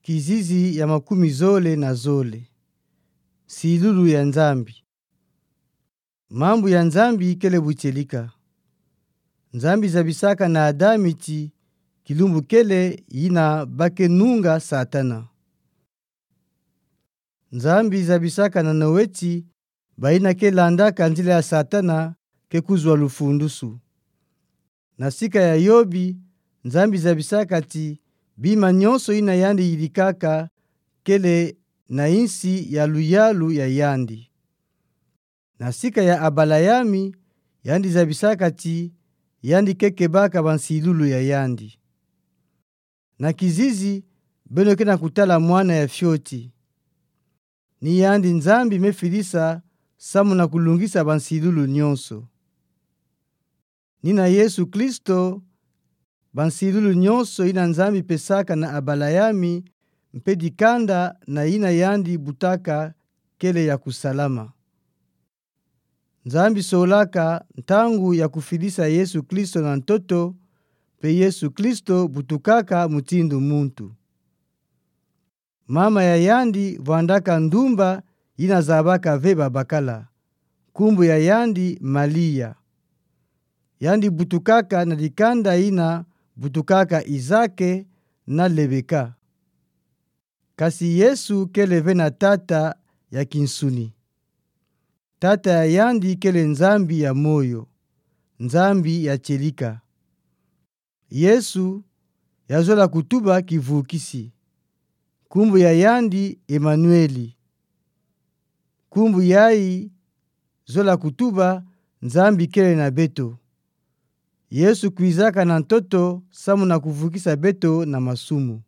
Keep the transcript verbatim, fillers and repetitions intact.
Kizizi ya makumi zole na zole. Nsilulu ya Nzambi. Mambu ya Nzambi kele butielika. Nzambi zabisaka na Adami ti, kilumbu kele yina ba ke nunga Satana. Nzambi zabisaka na Noe ti, bayina ke landaka nzila ya Satana ke kuzwa lufundusu. Na sika ya Yobi, Nzambi zabisaka ti, bima nyonso yina yandi yirikaka kele na yinsi ya luyalu ya yandi. Na sika ya Abalayami, yandi zabisaka ti, yandi ke kebaka bansilulu ya yandi. Na kizizi, beno ke na kutala mwana ya fioti. Ni yandi Nzambi me filisa, samu na kulungisa bansilulu nyonso. Ni na Yesu Kristo, bansilulu nyonso yina Nzambi pesaka na Abalayami, mpe dikanda na yina yandi butaka kele ya kusalama. Nzambi solaka ntangu ya kufidisa Yesu Kristo na ntoto, mpe Yesu Kristo butukaka mutindu muntu. Mama ya yandi vwandaka ndumba yina zabaka ve babakala, nkumbu ya yandi Malia. Yandi butukaka na dikanda yina butukaka Izake na Lebeka. Kasi Yesu kele ve na tata ya kinsuni. Tata ya yandi kele Nzambi ya moyo, Nzambi ya tielika. Yesu yazola kutuba kivukisi. Nkumbu ya yandi Emanueli. Nkumbu yayi zola kutuba Nzambi kele na beto. Yesu kwizaka na ntoto samu na kuvukisa beto na masumu.